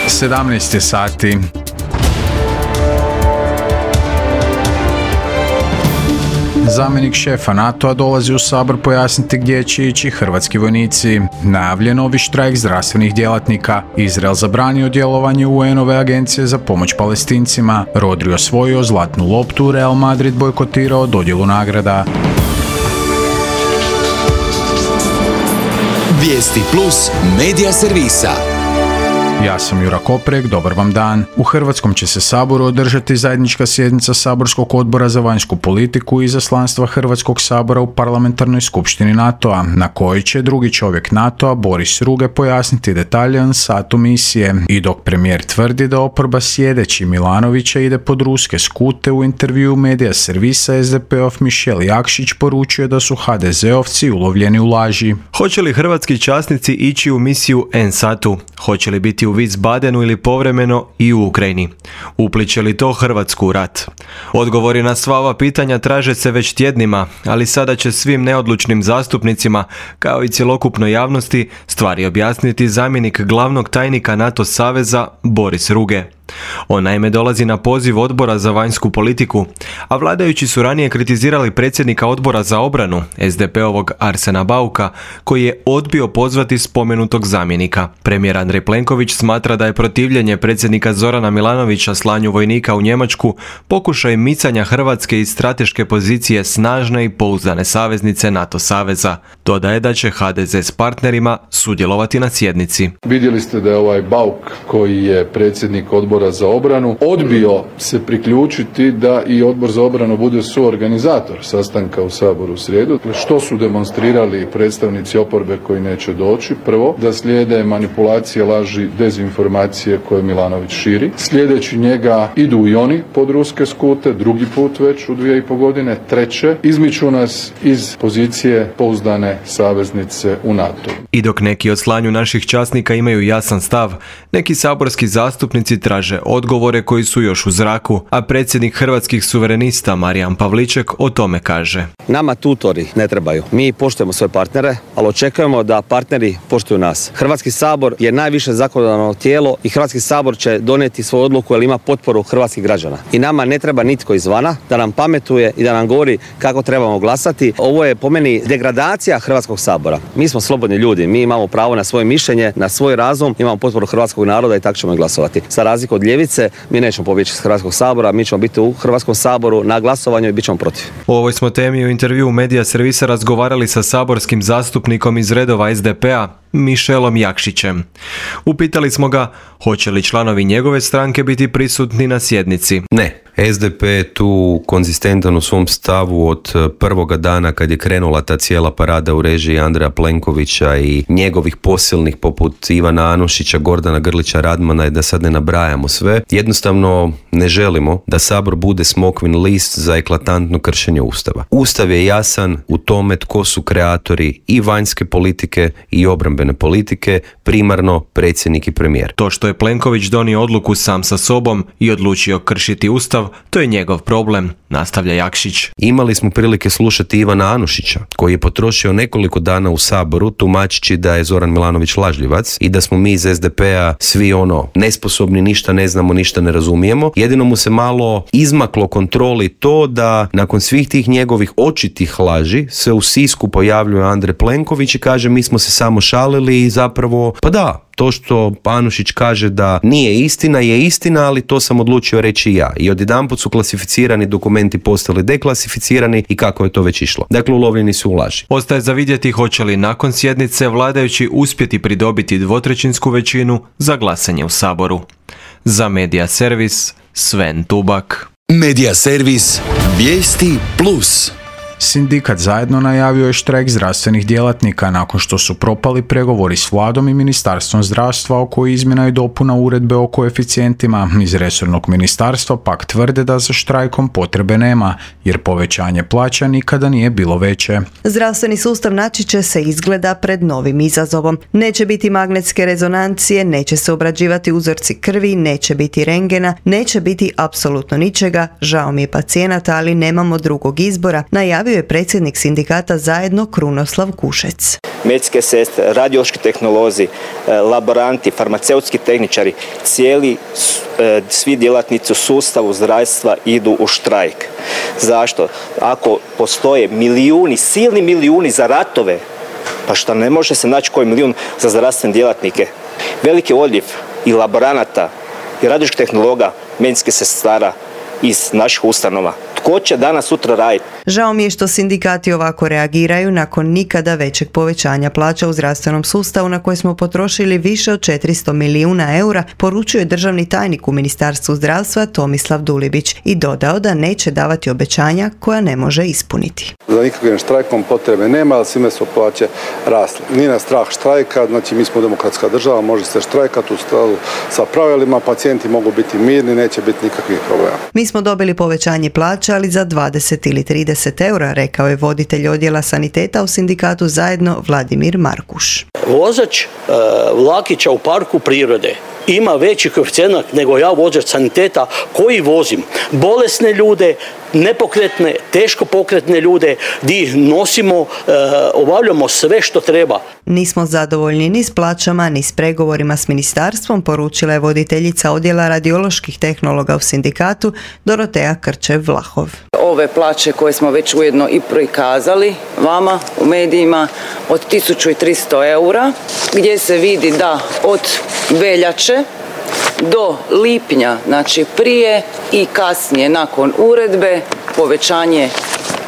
17 sati. Zamjenik šefa NATO-a dolazi u Sabor pojasniti gdje će ići hrvatski vojnici. Najavljen novi štrajk zdravstvenih djelatnika. Izrael zabranio djelovanje UN-ove agencije za pomoć Palestincima. Rodri osvojio zlatnu loptu, Real Madrid bojkotirao dodjelu nagrada. Vijesti plus medija servisa. Ja sam Jura Koprek, dobar vam dan. U Hrvatskom će se Saboru održati zajednička sjednica Saborskog odbora za vanjsku politiku i izaslanstva Hrvatskog sabora u parlamentarnoj skupštini NATO-a, na kojoj će drugi čovjek NATO-a, Boris Ruge, pojasniti detalje satu misije. I dok premijer tvrdi da oporba sjedeći Milanovića ide pod ruske skute, u intervju medija servisa SDP-ov Mišel Jakšić poručuje da su HDZ-ovci ulovljeni u laži. Hoće li hrvatski časnici ići u misiju NSAT-u? Hoće li biti u Wiesbadenu ili povremeno i u Ukrajini? Upliće li to Hrvatsku u rat? Odgovori na sva ova pitanja traže se već tjednima, ali sada će svim neodlučnim zastupnicima, kao i cjelokupnoj javnosti, stvari objasniti zamjenik glavnog tajnika NATO saveza Boris Ruge. On naime dolazi na poziv Odbora za vanjsku politiku, a vladajući su ranije kritizirali predsjednika Odbora za obranu, SDP-ovog Arsena Bauka, koji je odbio pozvati spomenutog zamjenika. Premijer Andrej Plenković smatra da je protivljenje predsjednika Zorana Milanovića slanju vojnika u Njemačku pokušaj micanja Hrvatske iz strateške pozicije snažne i pouzdane saveznice NATO saveza. Dodaje da će HDZ s partnerima sudjelovati na sjednici. Vidjeli ste da je ovaj Bauk, koji je predsjednik Odbora za obranu, odbio se priključiti da i Odbor za obranu bude suorganizator sastanka u Saboru u srijedu. Što su demonstrirali predstavnici oporbe koji neće doći? Prvo, da slijede manipulacije, laži, dezinformacije koje Milanović širi. Sljedeći njega idu i oni pod ruske skute, drugi put već u 2,5 godine. Treće, izmiču nas iz pozicije pouzdane saveznice u NATO. I dok neki od slanju naših časnika imaju jasan stav, neki saborski zastupnici traže odgovore koji su još u zraku, a predsjednik Hrvatskih suverenista Marijan Pavliček o tome kaže. Nama tutori ne trebaju. Mi poštujemo svoje partnere, ali očekujemo da partneri poštuju nas. Hrvatski sabor je najviše zakonodavno tijelo i Hrvatski sabor će donijeti svoju odluku jer ima potporu hrvatskih građana. I nama ne treba nitko izvana da nam pametuje i da nam govori kako trebamo glasati. Ovo je po meni degradacija Hrvatskog sabora. Mi smo slobodni ljudi, mi imamo pravo na svoje mišljenje, na svoj razum, imamo potporu hrvatskog naroda i tako ćemo glasovati. Za razliku od ljevice, mi nećemo pobjeći iz Hrvatskog sabora, mi ćemo biti u Hrvatskom saboru na glasovanju i bit ćemo protiv. O ovoj smo temi u intervju medija servisa razgovarali sa saborskim zastupnikom iz redova SDP-a, Mišelom Jakšićem. Upitali smo ga hoće li članovi njegove stranke biti prisutni na sjednici. Ne. SDP je tu konzistentan u svom stavu od prvoga dana kad je krenula ta cijela parada u režiji Andreja Plenkovića i njegovih posilnih poput Ivana Anušića, Gordana Grlića Radmana i da sad ne nabrajamo sve. Jednostavno ne želimo da Sabor bude smokvin list za eklatantno kršenje Ustava. Ustav je jasan u tome tko su kreatori i vanjske politike i obrambene politike, primarno predsjednik i premijer. To što je Plenković donio odluku sam sa sobom i odlučio kršiti Ustav, to je njegov problem, nastavlja Jakšić. Imali smo prilike slušati Ivana Anušića, koji je potrošio nekoliko dana u Saboru tumačići da je Zoran Milanović lažljivac i da smo mi iz SDP-a svi nesposobni, ništa ne znamo, ništa ne razumijemo. Jedino mu se malo izmaklo kontroli to da nakon svih tih njegovih očitih laži se u Sisku pojavljuje Andrej Plenković i kaže mi smo se samo šalili i zapravo, pa da, to što Anušić kaže da nije istina, je istina, ali to sam odlučio reći ja. I odjedanput su klasificirani dokumenti postali deklasificirani i kako je to već išlo. Dakle, ulovljeni su u laži. Ostaje za vidjeti hoće li nakon sjednice vladajući uspjeti pridobiti 2/3 većinu za glasanje u Saboru. Za Medija servis, Sven Tubak. Medija servis, Vijesti plus. Sindikat Zajedno najavio je štrajk zdravstvenih djelatnika nakon što su propali pregovori s vladom i Ministarstvom zdravstva oko izmjena i dopuna uredbe o koeficijentima. Iz resornog ministarstva pak tvrde da za štrajkom potrebe nema, jer povećanje plaća nikada nije bilo veće. Zdravstveni sustav naći će se izgleda pred novim izazovom. Neće biti magnetske rezonancije, neće se obrađivati uzorci krvi, neće biti rengena, neće biti apsolutno ničega. Žao mi je pacijenata, ali nemamo drugog izbora, najavio izjavio je predsjednik sindikata Zajedno Krunoslav Kušec. Medicinske sestre, radiološki tehnolozi, laboranti, farmaceutski tehničari, svi djelatnici u sustavu zdravstva idu u štrajk. Zašto? Ako postoje milijuni, silni milijuni za ratove, pa šta ne može se naći koji milijun za zdravstvene djelatnike? Veliki odljev i laboranata i radioloških tehnologa, medicinskih sestara iz naših ustanova. Tko će danas sutra raditi? Žao mi je što sindikati ovako reagiraju nakon nikada većeg povećanja plaća u zdravstvenom sustavu na koje smo potrošili više od 400 milijuna eura, poručuje državni tajnik u Ministarstvu zdravstva Tomislav Dulibić i dodao da neće davati obećanja koja ne može ispuniti. Za nikakvim štrajkom potrebe nema, ali svime su plaće rasle. Nije nas strah štrajka, znači mi smo demokratska država, može se štrajkati u skladu sa pravilima, pacijenti mogu biti mirni, neće biti nikakvih problema. Mi smo dobili povećanje plaća, ali za 20 ili 30 eura, rekao je voditelj odjela saniteta u sindikatu Zajedno Vladimir Markuš. Vozač vlakića u parku prirode ima veći koeficijent nego ja, vozač saniteta, koji vozim bolesne ljude, nepokretne, teško pokretne ljude, gdje ih nosimo, obavljamo sve što treba. Nismo zadovoljni ni s plaćama, ni s pregovorima s ministarstvom, poručila je voditeljica odjela radioloških tehnologa u sindikatu Dorotea Krčev-Vlahov. Ove plaće koje smo već ujedno i prikazali vama u medijima od 1300 eura, gdje se vidi da od veljače do lipnja, znači prije i kasnije nakon uredbe, povećanje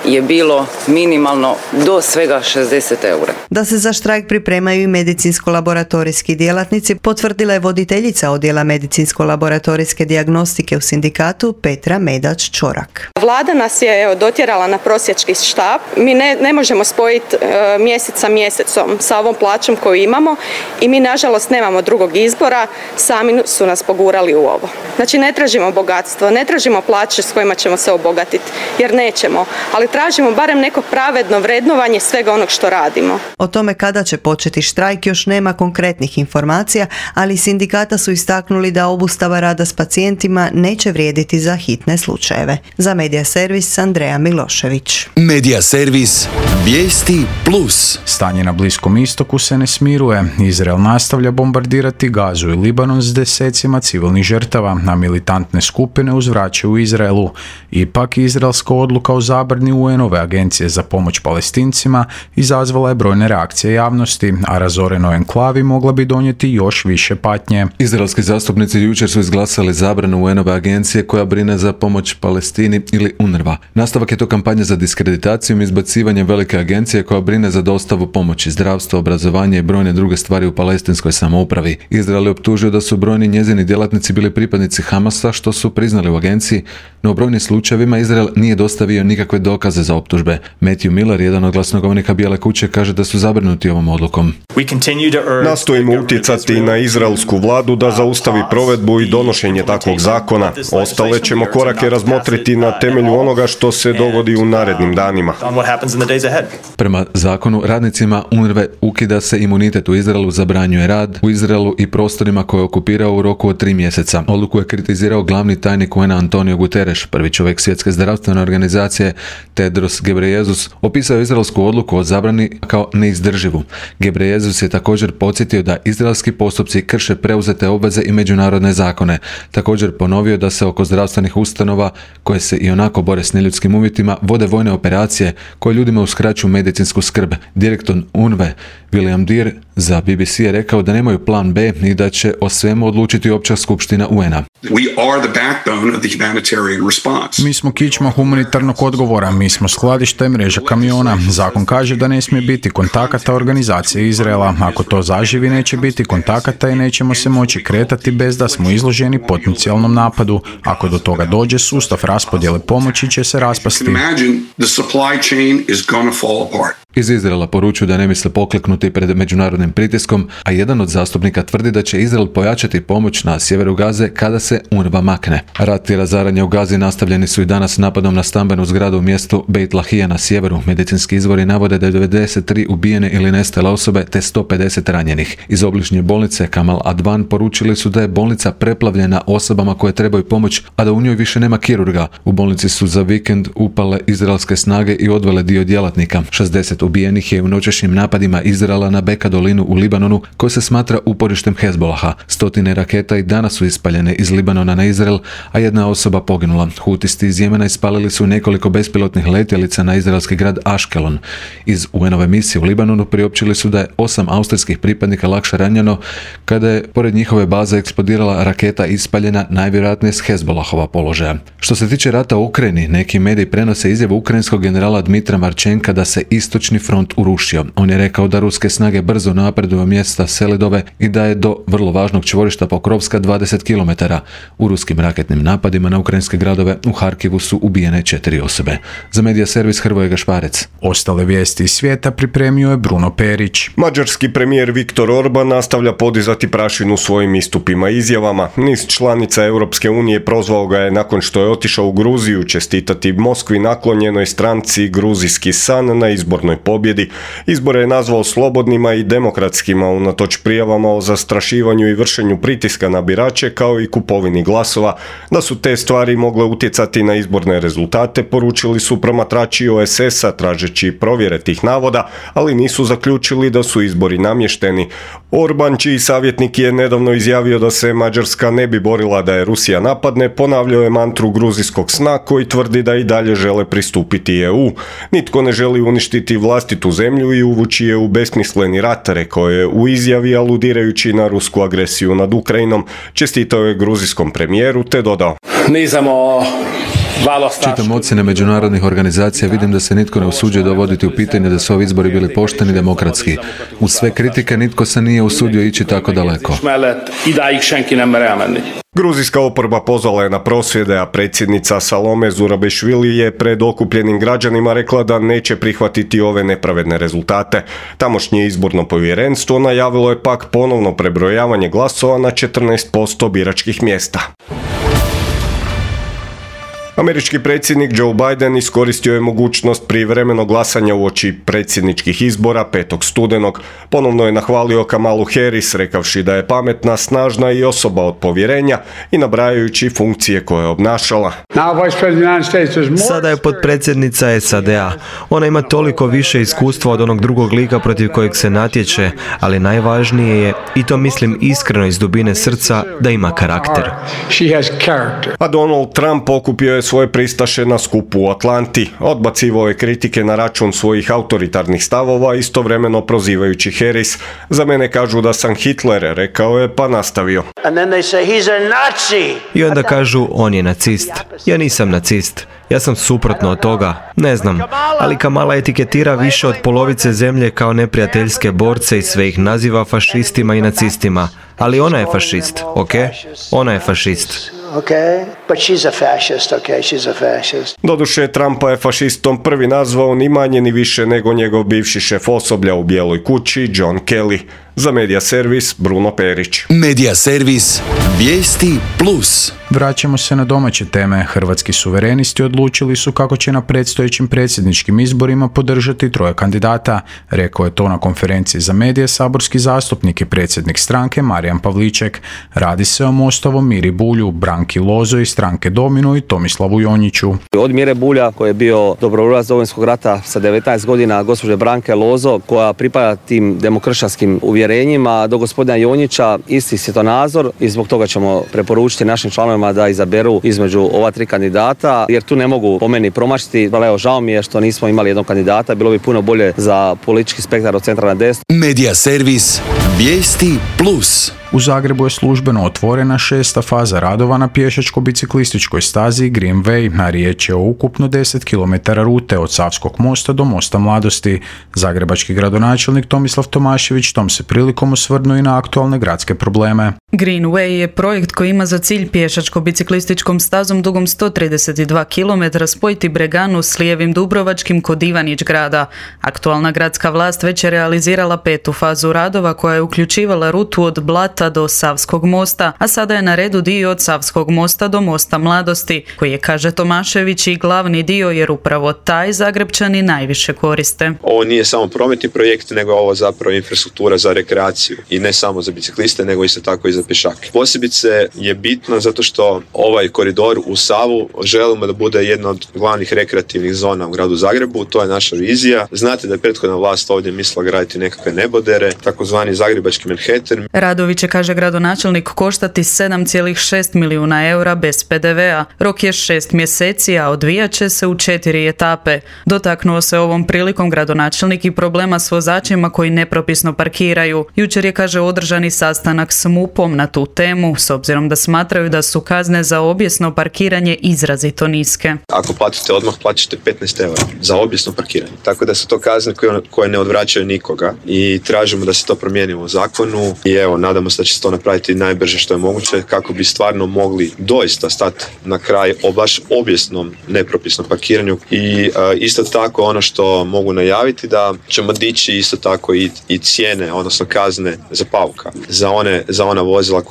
je bilo minimalno do svega 60 eura. Da se za štrajk pripremaju i medicinsko-laboratorijski djelatnici, potvrdila je voditeljica odjela medicinsko-laboratorijske dijagnostike u sindikatu Petra Medač-Čorak. Vlada nas je dotjerala na prosjački štap. Mi ne možemo spojiti mjesec sa mjesecom sa ovom plaćom koju imamo i mi nažalost nemamo drugog izbora, sami su nas pogurali u ovo. Znači ne tražimo bogatstvo, ne tražimo plaće s kojima ćemo se obogatiti, jer nećemo, ali tražimo barem neko pravedno vrednovanje svega onog što radimo. O tome kada će početi štrajk još nema konkretnih informacija, ali sindikata su istaknuli da obustava rada s pacijentima neće vrijediti za hitne slučajeve. Za Medija servis Andreja Milošević. Medija servis Vijesti Plus. Stanje na Bliskom istoku se ne smiruje. Izrael nastavlja bombardirati Gazu i Libanon s desecima civilnih žrtava, a militantne skupine uzvraćaju Izraelu. Ipak, izraelska odluka o zabrani UN-ove agencije za pomoć Palestincima izazvala je brojne reakcije javnosti, a razorenoj enklavi mogla bi donijeti još više patnje. Izraelski zastupnici jučer su izglasali zabranu UN-ove agencije koja brine za pomoć Palestini ili UNRWA. Nastavak je to kampanja za diskreditacijom i izbacivanjem velike agencije koja brine za dostavu pomoći, zdravstvo, obrazovanje i brojne druge stvari u palestinskoj samoupravi. Izrael je optužio da su brojni njezini djelatnici bili pripadnici Hamasa, što su priznali u agenciji, no u brojnim slučajevima Izrael nije dostavio nikakve dokaze za optužbe. Matthew Miller, jedan od glasnogovornika Bijele kuće, kaže da su zabrinuti ovom odlukom. Nastojimo utjecati na izraelsku vladu da zaustavi provedbu i donošenje takvog zakona. Ostale ćemo korake razmotriti na temelju onoga što se dogodi u narednim danima. Prema zakonu, radnicima UNRWA ukida se imunitet u Izraelu, zabranjuje rad u Izraelu i prostorima koje je okupirao u roku od 3 mjeseca. Odluku je kritizirao glavni tajnik UN-a Antonio Guterres. Prvi čovjek Svjetske zdravstvene organizacije Tedros Ghebreyesus opisao je izraelsku odluku o zabrani kao neizdrživu. Ghebreyesus je također podsjetio da izraelski postupci krše preuzete obveze i međunarodne zakone. Također ponovio da se oko zdravstvenih ustanova, koje se i onako bore s neljudskim uvjetima, vode vojne operacije koje ljudima uskraćuju medicinsku skrb. Direktor UNRWA William Deere za BBC je rekao da nemaju plan B i da će o svemu odlučiti Opća skupština UN-a. Mi smo kičma humanitarnog odgovora, mi smo skladište i mreža kamiona. Zakon kaže da ne smije biti kontakata organizacije Izraela. Ako to zaživi, neće biti kontakata i nećemo se moći kretati bez da smo izloženi potencijalnom napadu. Ako do toga dođe, sustav raspodjele pomoći će se raspasti. iz Izraela poručuju da ne misle pokleknuti pred međunarodnim pritiskom, a jedan od zastupnika tvrdi da će Izrael pojačati pomoć na sjeveru Gaze kada se UNRWA makne. Rat i razaranje u Gazi nastavljeni su i danas napadom na stambenu zgradu u mjestu Beit Lahija na sjeveru. Medicinski izvori navode da je 93 ubijene ili nestale osobe te 150 ranjenih. Iz obližnje bolnice Kamal Advan poručili su da je bolnica preplavljena osobama koje trebaju pomoć, a da u njoj više nema kirurga. U bolnici su za vikend upale izraelske snage i odvele dio djelatnika. 60 ubijenih je u noćašnjim napadima Izraela na Beka dolinu u Libanonu, koja se smatra uporištem Hezbolaha. 100 raketa i danas su ispaljene iz Libanona na Izrael, a jedna osoba poginula. Hutisti iz Jemena ispalili su nekoliko bespilotnih letjelica na izraelski grad Ashkelon. Iz UN-ove misije u Libanonu priopćili su da je 8 austrijskih pripadnika lakše ranjeno kada je pored njihove baze eksplodirala raketa ispaljena najvjerojatnije s Hezbolahova položaja. Što se tiče rata u Ukrajini, neki mediji prenose izjavu ukrajinskog generala Dmitra Marčenka da se istočni front urušio. On je rekao da ruske snage brzo napreduju mjesta Selidove i da je do vrlo važnog čvorišta Pokrovska 20 km. U ruskim raketnim napadima na ukrajinske gradove u Harkivu su ubijene 4 osobe. Za medija servis Hrvoje Gašparec. Ostale vijesti iz svijeta pripremio je Bruno Perić. Mađarski premijer Viktor Orban nastavlja podizati prašinu svojim istupima i izjavama. Niz članica Europske unije prozvao ga je nakon što je otišao u Gruziju čestitati Moskvi naklonjenoj stranci Gruzijski san na izbornoj pobjedi. Izbore je nazvao slobodnima i demokratskima unatoč prijavama o zastrašivanju i vršenju pritiska na birače kao i kupovini glasova. Da su te stvari mogle utjecati na izborne rezultate, poručili su promatrači OSS-a tražeći provjere tih navoda, ali nisu zaključili da su izbori namješteni. Orban, čiji savjetnik je nedavno izjavio da se Mađarska ne bi borila da je Rusija napadne, ponavljao je mantru gruzijskog sna koji tvrdi da i dalje žele pristupiti EU. Nitko ne želi uništiti vlastitu zemlju i uvući je u besmisleni rat, rekao je u izjavi aludirajući na rusku agresiju nad Ukrajinom. Čestitao je gruzijskom premijeru te dodao: Čitam ocjene međunarodnih organizacija, vidim da se nitko ne usuđuje dovoditi u pitanje da su ovi izbori bili pošteni i demokratski. Uz sve kritike nitko se nije usudio ići tako daleko. Gruzijska oporba pozvala je na prosvjede, a predsjednica Salome Zurabišvili je pred okupljenim građanima rekla da neće prihvatiti ove nepravedne rezultate. Tamošnje izborno povjerenstvo najavilo je pak ponovno prebrojavanje glasova na 14% biračkih mjesta. Američki predsjednik Joe Biden iskoristio je mogućnost privremenog glasanja uoči predsjedničkih izbora 5. studenog. Ponovno je nahvalio Kamalu Harris, rekavši da je pametna, snažna i osoba od povjerenja i nabrajajući funkcije koje je obnašala. Sada je potpredsjednica SAD-a. Ona ima toliko više iskustva od onog drugog lika protiv kojeg se natječe, ali najvažnije je, i to mislim iskreno iz dubine srca, da ima karakter. A Donald Trump okupio je svoje pristaše na skupu u Atlanti. Odbacivao je kritike na račun svojih autoritarnih stavova, istovremeno prozivajući Harris. Za mene kažu da sam Hitler, rekao je, pa nastavio. I onda kažu, on je nacist. Ja nisam nacist. Ja sam suprotno od toga. Ne znam. Ali Kamala etiketira više od polovice zemlje kao neprijateljske borce i sve ih naziva fašistima i nacistima. Ali ona je fašist, ok? Ona je fašist. Doduše, Trumpa je fašistom prvi nazvao ni manje ni više nego njegov bivši šef osoblja u Bijeloj kući, John Kelly. Za Medija servis, Bruno Perić. Medija servis, vijesti plus. Vraćamo se na domaće teme. Hrvatski suverenisti odlučili su kako će na predstojećim predsjedničkim izborima podržati 3 kandidata. Rekao je to na konferenciji za medije saborski zastupnik i predsjednik stranke Marijan Pavliček. Radi se o Mostovom Miri Bulju, Branki Lozo iz stranke Domino i Tomislavu Jonjiću. Od Mire Bulja, koji je bio dobrovoljac Domovinskog rata sa 19 godina, gospođe Branke Lozo, koja pripada tim demokršćanskim uvjerenjima, do gospodina Jonjića isti svjetonazor i zbog toga ćemo preporučiti našim članovima da izaberu između ova 3 kandidata, jer tu ne mogu po meni promašiti. Evo, žao mi je što nismo imali jednog kandidata, bilo bi puno bolje za politički spektar od centra na desno. Medija servis, vijesti plus. U Zagrebu je službeno otvorena 6. faza radova na pješačko-biciklističkoj stazi Green Way, a riječ je o ukupno 10 km rute od Savskog mosta do Mosta Mladosti. Zagrebački gradonačelnik Tomislav Tomašević tom se prilikom osvrnuo i na aktualne gradske probleme. Green Way je projekt koji ima za cilj pješačko-biciklističkom stazom dugom 132 km spojiti Breganu s lijevim Dubrovačkim kod Ivanić grada. Aktualna gradska vlast već je realizirala 5. fazu radova koja je uključivala rutu od Blata do Savskog mosta, a sada je na redu dio od Savskog mosta do Mosta Mladosti, koji je, kaže Tomašević, i glavni dio jer upravo taj Zagrebčani najviše koriste. Ovo nije samo prometni projekt, nego ovo zapravo infrastruktura za rekreaciju i ne samo za bicikliste, nego isto tako i za pješake. Posebice je bitno zato što ovaj koridor u Savu želimo da bude jedna od glavnih rekreativnih zona u gradu Zagrebu, to je naša vizija. Znate da je prethodna vlast ovdje mislila graditi nekakve nebodere, takozvani zagrebački Manhattan. Radovi će, kaže gradonačelnik, koštati 7,6 milijuna eura bez PDV-a. Rok je 6 mjeseci, a odvijat će se u 4 etape. Dotaknuo se ovom prilikom gradonačelnik i problema s vozačima koji nepropisno parkiraju. Jučer je, kaže, održani sastanak s MUP-om na tu temu, s obzirom da smatraju da su kazne za obijesno parkiranje izrazito niske. Ako platite odmah, plaćate 15 eura za obijesno parkiranje. Tako da su to kazne koje ne odvraćaju nikoga i tražimo da se to promijeni u zakonu i evo, nadamo se da će se to napraviti najbrže što je moguće kako bi stvarno mogli doista stati na kraj o baš obijesnom nepropisnom parkiranju i isto tako ono što mogu najaviti da ćemo dići isto tako i cijene, odnosno kazne za pauka, za ona vozila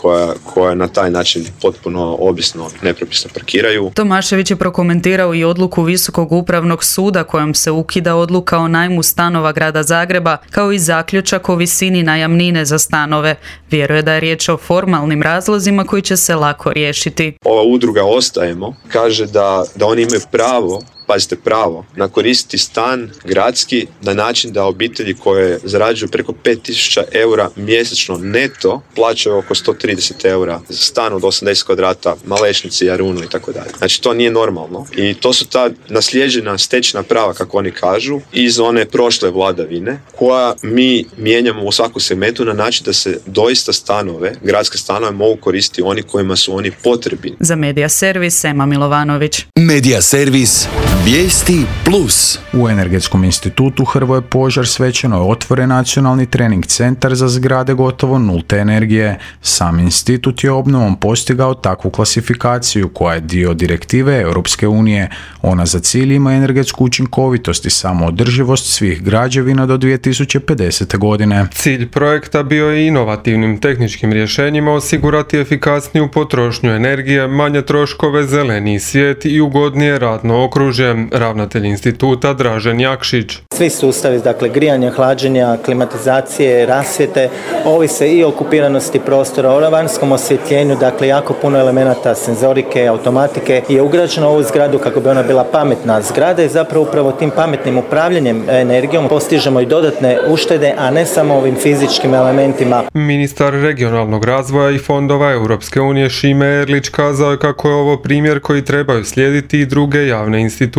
koja na taj način potpuno obijesno nepropisno parkiraju. Tomašević je prokomentirao i odluku Visokog upravnog suda kojom se ukida odluka o najmu stanova grada Zagreba, kao i zaključak o visini najamnine za stanove. Vjeruje da je riječ o formalnim razlozima koji će se lako riješiti. Ova udruga Ostajemo kaže da oni imaju pravo, pazite pravo, na koristiti stan gradski na način da obitelji koje zarađuju preko 5.000 eura mjesečno neto plaćaju oko 130 eura za stan od 80 kvadrata, Malešnici, Jarunu i tako dalje. Znači to nije normalno i to su ta naslijeđena stečena prava, kako oni kažu, iz one prošle vladavine koja mi mijenjamo u svaku segmentu na način da se doista stanove, gradske stanove mogu koristiti oni kojima su oni potrebni. Za Medija Servis, Ema Milovanović. Medija Servis. Vijesti plus. U Energetskom institutu Hrvoje Požar svečano je otvoren nacionalni trening centar za zgrade gotovo nulte energije. Sam institut je obnovom postigao takvu klasifikaciju koja je dio direktive Europske unije. Ona za cilj ima energetsku učinkovitost i samoodrživost svih građevina do 2050. godine. Cilj projekta bio je inovativnim tehničkim rješenjima osigurati efikasniju potrošnju energije, manje troškove, zeleniji svijet i ugodnije radno okružje. Ravnatelj instituta Dražen Jakšić. Svi sustavi, dakle grijanja, hlađenja, klimatizacije, rasvjete, ovise i o okupiranosti prostora, o vanjskom osvjetljenju, dakle jako puno elemenata senzorike, automatike je ugrađeno u ovu zgradu kako bi ona bila pametna zgrada i zapravo upravo tim pametnim upravljanjem energijom postižemo i dodatne uštede, a ne samo ovim fizičkim elementima. Ministar regionalnog razvoja i fondova Europske unije Šime Erlić kazao je kako je ovo primjer koji trebaju slijediti i druge javne institucije.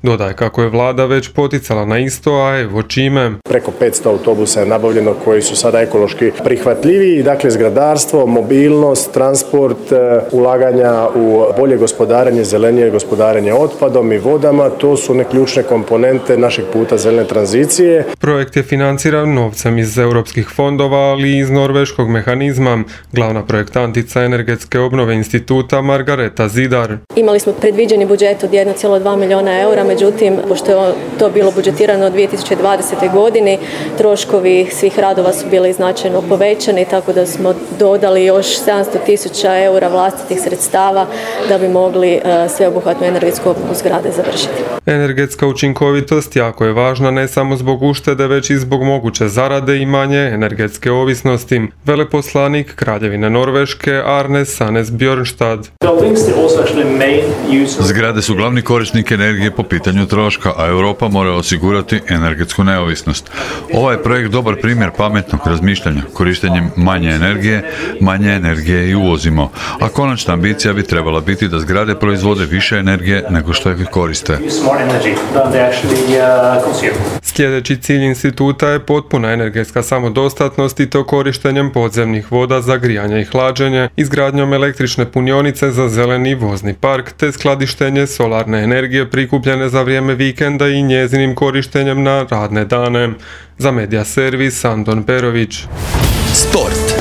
Dodaje kako je vlada već poticala na isto, a evo čime. Preko 500 autobusa je nabavljeno koji su sada ekološki prihvatljiviji. Dakle, zgradarstvo, mobilnost, transport, ulaganja u bolje gospodarenje, zelenije gospodarenje otpadom i vodama, to su one ključne komponente našeg puta zelene tranzicije. Projekt je financiran novcem iz europskih fondova, ali i iz norveškog mehanizma. Glavna projektantica energetske obnove instituta Margareta Zidar. Imali smo predviđeni budžet od 1,2 milijuna eura, međutim, pošto je to bilo budžetirano u 2020. godini, troškovi svih radova su bili značajno povećani, tako da smo dodali još 700.000 eura vlastitih sredstava da bi mogli sveobuhvatnu energetsku obnovu zgrade završiti. Energetska učinkovitost jako je važna ne samo zbog uštede, već i zbog moguće zarade i manje energetske ovisnosti. Veleposlanik Kraljevine Norveške Arne Sanes Bjornstad. Zgrade su glavni korisnici korisnik energije po pitanju troška, a Europa mora osigurati energetsku neovisnost. Ovaj je projekt dobar primjer pametnog razmišljanja. Korištenjem manje energije i uvozimo, a konačna ambicija bi trebala biti da zgrade proizvode više energije nego što ih koriste. Sljedeći cilj instituta je potpuna energetska samodostatnost i to korištenjem podzemnih voda za grijanje i hlađenje, izgradnjom električne punionice za zeleni vozni park te skladištenje solarne energije prikupljene za vrijeme vikenda i njezinim korištenjem na radne dane. Za Medija servis Anton Perović. Sport.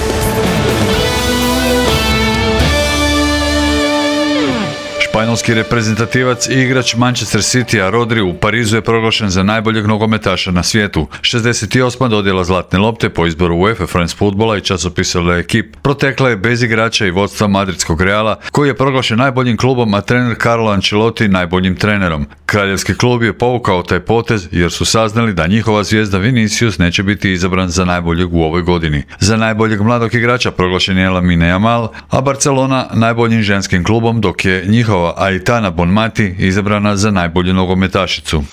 Španjolski reprezentativac i igrač Manchester Citya Rodri u Parizu je proglašen za najboljeg nogometaša na svijetu. 68. dodjela zlatne lopte po izboru UEFA France Footballa i časopisa L'Equipe protekla je bez igrača i vodstva madridskog Reala, koji je proglašen najboljim klubom, a trener Carlo Ancelotti najboljim trenerom. Kraljevski klub je povukao taj potez jer su saznali da njihova zvijezda Vinicius neće biti izabran za najboljeg u ovoj godini. Za najboljeg mladog igrača proglašen je Lamine Yamal, a Barcelona najboljim ženskim klubom, dok je njihova Aitana Bonmati izabrana za najbolju nogometašicu.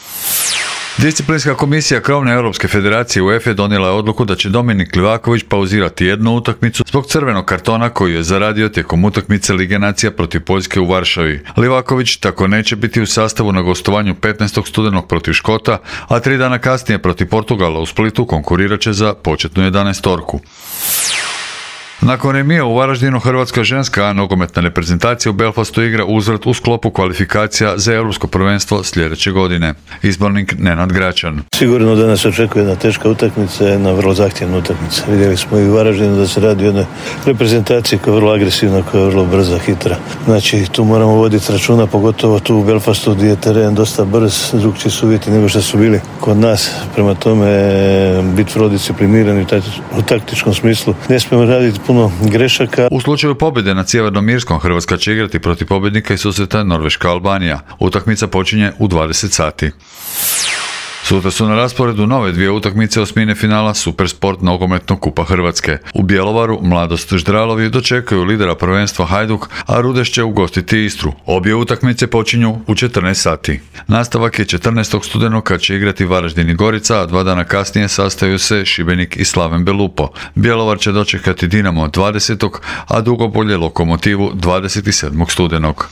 Disciplinska komisija krovne Europske federacije UEFA donijela je odluku da će Dominik Livaković pauzirati jednu utakmicu zbog crvenog kartona koji je zaradio tijekom utakmice Lige nacija protiv Poljske u Varšavi. Livaković tako neće biti u sastavu na gostovanju 15. studenog protiv Škota, a 3 dana kasnije protiv Portugala u Splitu konkurirat će za početnu 11-orku. Nakon remija u Varaždinu, hrvatska ženska nogometna reprezentacija u Belfastu igra uzvrat u sklopu kvalifikacija za europsko prvenstvo sljedeće godine. Izbornik Nenad Gračan. Sigurno da nas očekuje jedna teška utakmica, jedna vrlo zahtjevna utakmica. Vidjeli smo i u Varaždinu da se radi o jednoj reprezentaciji koja je vrlo agresivna, koja je vrlo brza, hitra. Znači tu moramo voditi računa, pogotovo tu u Belfastu gdje je teren dosta brz, drugčiji su uvjeti nego što su bili kod nas. Prema tome biti vrlo disciplinirani u taktičkom smislu. Ne smijemo raditi puno grešaka. U slučaju pobjede nad Sjevernom Irskom, Hrvatska će igrati protiv pobjednika i susreta Norveška-Albanija. Utakmica počinje u 20 sati. Sutra su na rasporedu nove 2 utakmice osmine finala Supersport nogometnog kupa Hrvatske. U Bjelovaru Mladost Ždralovi dočekaju lidera prvenstva Hajduk, a Rudeš će ugostiti Istru. Obje utakmice počinju u 14 sati. Nastavak je 14. studenog kad će igrati Varaždin i Gorica, a 2 dana kasnije sastaju se Šibenik i Slaven Belupo. Bjelovar će dočekati Dinamo 20. a Dugopolje Lokomotivu 27. studenog.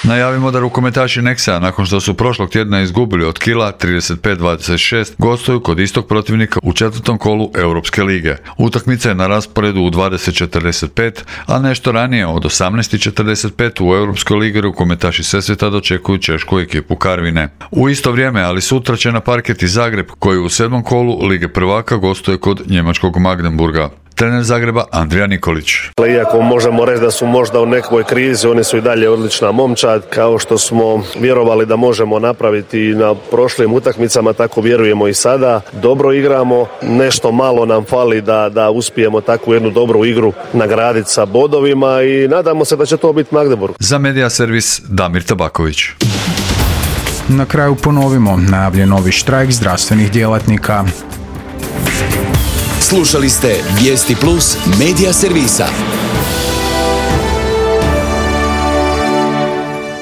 Najavimo da rukometaši Nexa, nakon što su prošlog tjedna izgubili od Kila 35-26, gostuju kod istog protivnika u 4. kolu Europske lige. Utakmica je na rasporedu u 20:45, a nešto ranije od 18:45 u Europskoj ligi rukometaši Sesveta dočekuju češku ekipu Karvine. U isto vrijeme, ali sutra će na parket i Zagreb, koji u 7. kolu Lige prvaka gostuje kod njemačkog Magdeburga. Trener Zagreba Andrija Nikolić. Iako možemo reći da su možda u nekoj krizi, oni su i dalje odlična momčad, kao što smo vjerovali da možemo napraviti na prošlim utakmicama, tako vjerujemo i sada. Dobro igramo, nešto malo nam fali da uspijemo takvu jednu dobru igru nagraditi sa bodovima i nadamo se da će to biti Magdeburg. Za Medija servis Damir Tabaković. Na kraju ponovimo, najavljen novi štrajk zdravstvenih djelatnika. Slušali ste Vijesti Plus Medija servisa.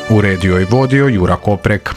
Uredio i vodio Jura Koprek.